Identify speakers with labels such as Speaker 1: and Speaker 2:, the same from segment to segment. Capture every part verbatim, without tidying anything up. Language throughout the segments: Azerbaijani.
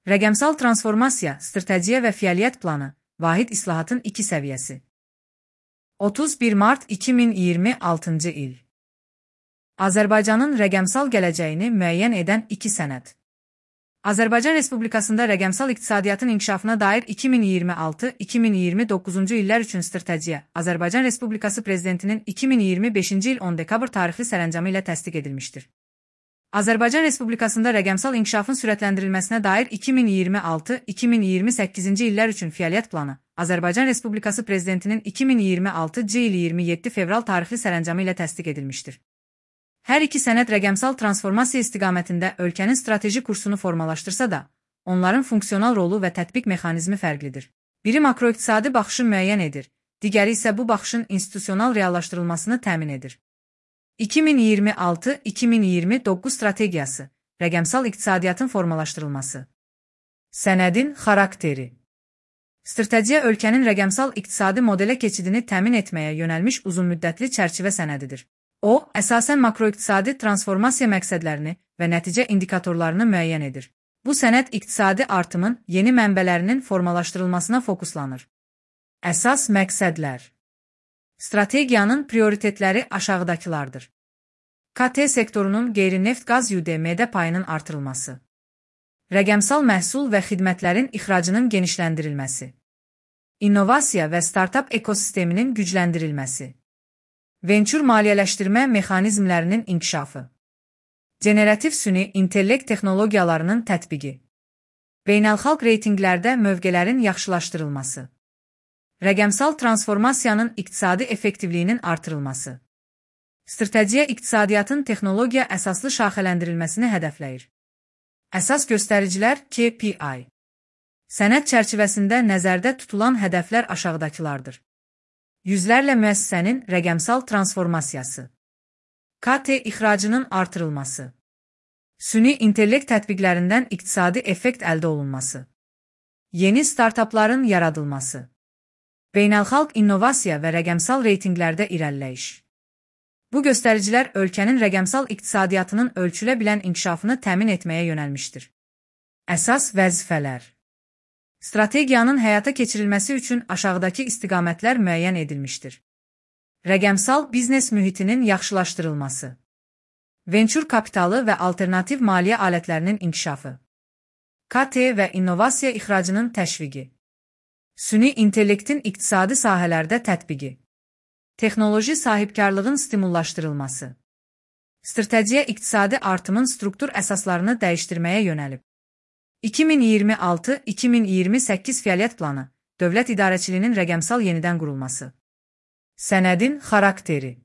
Speaker 1: Rəqəmsal transformasiya, strategiya və fəaliyyət planı, vahid islahatın iki səviyyəsi. otuz bir mart iki min iyirmi altıncı il. Azərbaycanın rəqəmsal gələcəyini müəyyən edən iki sənəd. Azərbaycan Respublikasında rəqəmsal iqtisadiyyatın inkişafına dair iki min iyirmi altı iki min iyirmi doqquzuncu illər üçün strategiya, Azərbaycan Respublikası Prezidentinin iki min iyirmi beşinci il on dekabr tarixli sərəncamı ilə təsdiq edilmişdir. Azərbaycan Respublikasında rəqəmsal inkişafın sürətləndirilməsinə dair iki min iyirmi altı iki min iyirmi səkkizinci illər üçün fəaliyyət planı, Azərbaycan Respublikası Prezidentinin iki min iyirmi altıncı il iyirmi yeddi fevral tarixli sərəncamı ilə təsdiq edilmişdir. Hər iki sənəd rəqəmsal transformasiya istiqamətində ölkənin strateji kursunu formalaşdırsa da, onların funksional rolu və tətbiq mexanizmi fərqlidir. Biri makroiqtisadi baxışı müəyyən edir, digəri isə bu baxışın institusional reallaşdırılmasını təmin edir. iki min iyirmi altı iki min iyirmi doqquz strategiyası, rəqəmsal iqtisadiyyatın formalaşdırılması. Sənədin xarakteri. Strategiya ölkənin rəqəmsal iqtisadi modelə keçidini təmin etməyə yönəlmiş uzunmüddətli çərçivə sənədidir. O, əsasən makroiqtisadi transformasiya məqsədlərini və nəticə indikatorlarını müəyyən edir. Bu sənəd iqtisadi artımın yeni mənbələrinin formalaşdırılmasına fokuslanır. Əsas məqsədlər. Strategiyanın prioritetləri aşağıdakılardır. K T sektorunun qeyri-neft qaz Y D M-də payının artırılması. Rəqəmsal məhsul və xidmətlərin ixracının genişləndirilməsi. İnnovasiya və startup ekosisteminin gücləndirilməsi. Vençur maliyyələşdirmə mexanizmlərinin inkişafı. Generativ süni intellekt texnologiyalarının tətbiqi. Beynəlxalq reytinqlərdə mövqələrin yaxşılaşdırılması. Rəqəmsal transformasiyanın iqtisadi effektivliyinin artırılması. Strategiya iqtisadiyyatın texnologiya əsaslı şaxələndirilməsini hədəfləyir. Əsas göstəricilər K P I. Sənəd çərçivəsində nəzərdə tutulan hədəflər aşağıdakılardır. Yüzlərlə müəssisənin rəqəmsal transformasiyası. K T ixracının artırılması. Süni intellekt tətbiqlərindən iqtisadi effekt əldə olunması. Yeni startupların yaradılması. Beynəlxalq innovasiya və rəqəmsal reytinqlərdə irəliləyiş. Bu göstəricilər ölkənin rəqəmsal iqtisadiyyatının ölçülə bilən inkişafını təmin etməyə yönəlmişdir. Əsas vəzifələr. Strategiyanın həyata keçirilməsi üçün aşağıdakı istiqamətlər müəyyən edilmişdir. Rəqəmsal biznes mühitinin yaxşılaşdırılması. Vençur kapitalı və alternativ maliyyə alətlərinin inkişafı. K T və innovasiya ixracının təşviqi. Süni intellektin iqtisadi sahələrdə tətbiqi. Texnoloji sahibkarlığın stimullaşdırılması. Strategiya iqtisadi artımın struktur əsaslarını dəyişdirməyə yönəlib. iki min iyirmi altı iki min iyirmi səkkiz fəaliyyət planı, dövlət idarəçiliyinin rəqəmsal yenidən qurulması. Sənədin xarakteri.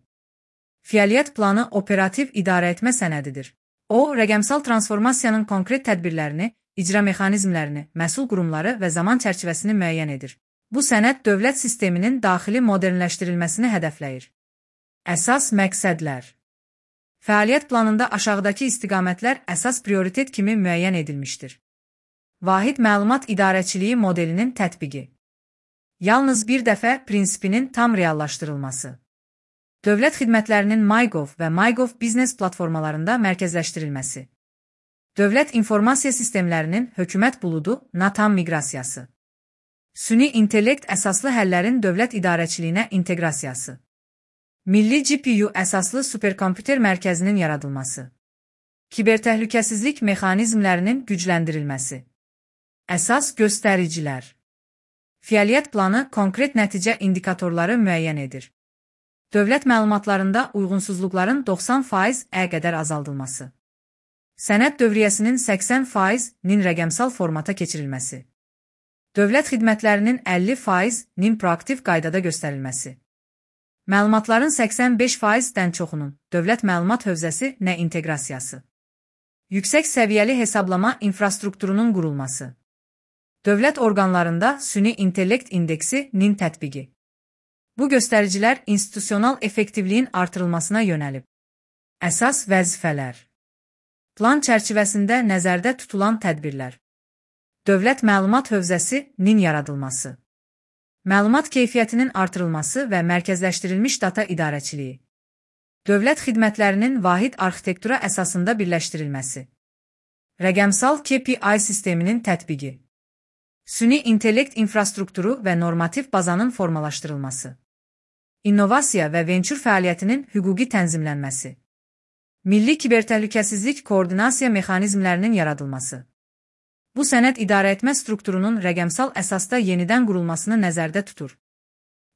Speaker 1: Fəaliyyət planı operativ idarəetmə sənədidir. O, rəqəmsal transformasiyanın konkret tədbirlərini, icra mexanizmlərini, məsul qurumları və zaman çərçivəsini müəyyən edir. Bu sənəd dövlət sisteminin daxili modernləşdirilməsini hədəfləyir. Əsas məqsədlər. Fəaliyyət planında aşağıdakı istiqamətlər əsas prioritet kimi müəyyən edilmişdir. Vahid məlumat idarəçiliyi modelinin tətbiqi. Yalnız bir dəfə prinsipinin tam reallaşdırılması. Dövlət xidmətlərinin MyGov və MyGov biznes platformalarında mərkəzləşdirilməsi. Dövlət informasiya sistemlərinin hökumət buludu NATAM miqrasiyası. Süni intellekt əsaslı həllərin dövlət idarəçiliyinə inteqrasiyası. Milli G P U əsaslı superkompüter mərkəzinin yaradılması. Kibertəhlükəsizlik mexanizmlərinin gücləndirilməsi. Əsas göstəricilər. Fəaliyyət planı konkret nəticə indikatorları müəyyən edir. Dövlət məlumatlarında uyğunsuzluqların doxsan faiz-ə qədər azaldılması. Sənəd dövriyyəsinin səksən faiz-nin rəqəmsal formata keçirilməsi. Dövlət xidmətlərinin əlli faiz-nin proaktiv qaydada göstərilməsi. Məlumatların səksən beş faiz-dən çoxunun dövlət məlumat hövzəsi nə inteqrasiyası. Yüksək səviyyəli hesablama infrastrukturunun qurulması. Dövlət orqanlarında süni intellekt indeksi-nin tətbiqi. Bu göstəricilər institusional effektivliyin artırılmasına yönəlib. Əsas vəzifələr. Plan çərçivəsində nəzərdə tutulan tədbirlər. Dövlət məlumat hövzəsi-nin yaradılması. Məlumat keyfiyyətinin artırılması və mərkəzləşdirilmiş data idarəçiliyi. Dövlət xidmətlərinin vahid arxitektura əsasında birləşdirilməsi. Rəqəmsal K P I sisteminin tətbiqi. Süni intellekt infrastrukturu və normativ bazanın formalaşdırılması. İnnovasiya və vençur fəaliyyətinin hüquqi tənzimlənməsi. Milli kibertəhlükəsizlik koordinasiya mexanizmlərinin yaradılması. Bu sənəd idarəetmə strukturunun rəqəmsal əsasda yenidən qurulmasını nəzərdə tutur.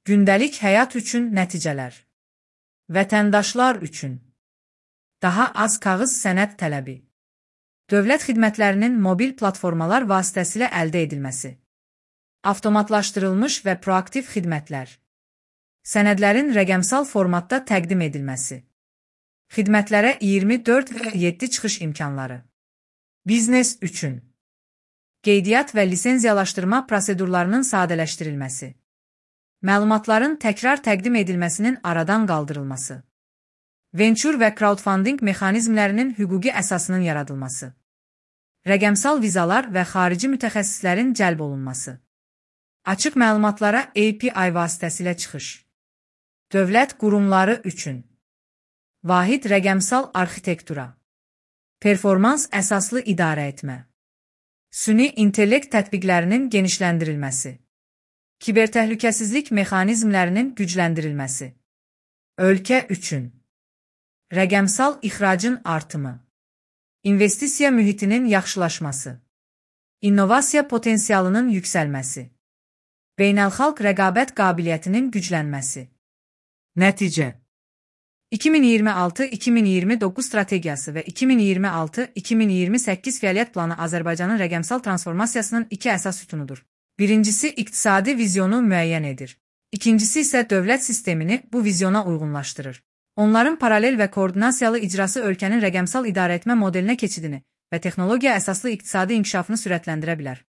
Speaker 1: Gündəlik həyat üçün nəticələr. Vətəndaşlar üçün. Daha az kağız sənəd tələbi. Dövlət xidmətlərinin mobil platformalar vasitəsilə əldə edilməsi. Avtomatlaşdırılmış və proaktiv xidmətlər. Sənədlərin rəqəmsal formatda təqdim edilməsi. Xidmətlərə iyirmi dörd yeddi çıxış imkanları. Biznes üçün. Qeydiyyat və lisenziyalaşdırma prosedurlarının sadələşdirilməsi. Məlumatların təkrar təqdim edilməsinin aradan qaldırılması. Vençur və crowdfunding mexanizmlərinin hüquqi əsasının yaradılması. Rəqəmsal vizalar və xarici mütəxəssislərin cəlb olunması. Açıq məlumatlara A P I vasitəsilə çıxış. Dövlət qurumları üçün. Vahid rəqəmsal arxitektura. Performans əsaslı idarəetmə. Süni intellekt tətbiqlərinin genişləndirilməsi. Kibertəhlükəsizlik mexanizmlərinin gücləndirilməsi. Ölkə üçün. Rəqəmsal ixracın artımı. İnvestisiya mühitinin yaxşılaşması. İnnovasiya potensialının yüksəlməsi. Beynəlxalq rəqabət qabiliyyətinin güclənməsi. Nəticə. iki min iyirmi altı iki min iyirmi doqquz strategiyası və iki min iyirmi altı iki min iyirmi səkkiz fəaliyyət planı Azərbaycanın rəqəmsal transformasiyasının iki əsas sütunudur. Birincisi iqtisadi vizyonu müəyyən edir. İkincisi isə dövlət sistemini bu vizyona uyğunlaşdırır. Onların paralel və koordinasiyalı icrası ölkənin rəqəmsal idarəetmə modelinə keçidini və texnologiya əsaslı iqtisadi inkişafını sürətləndirə bilər.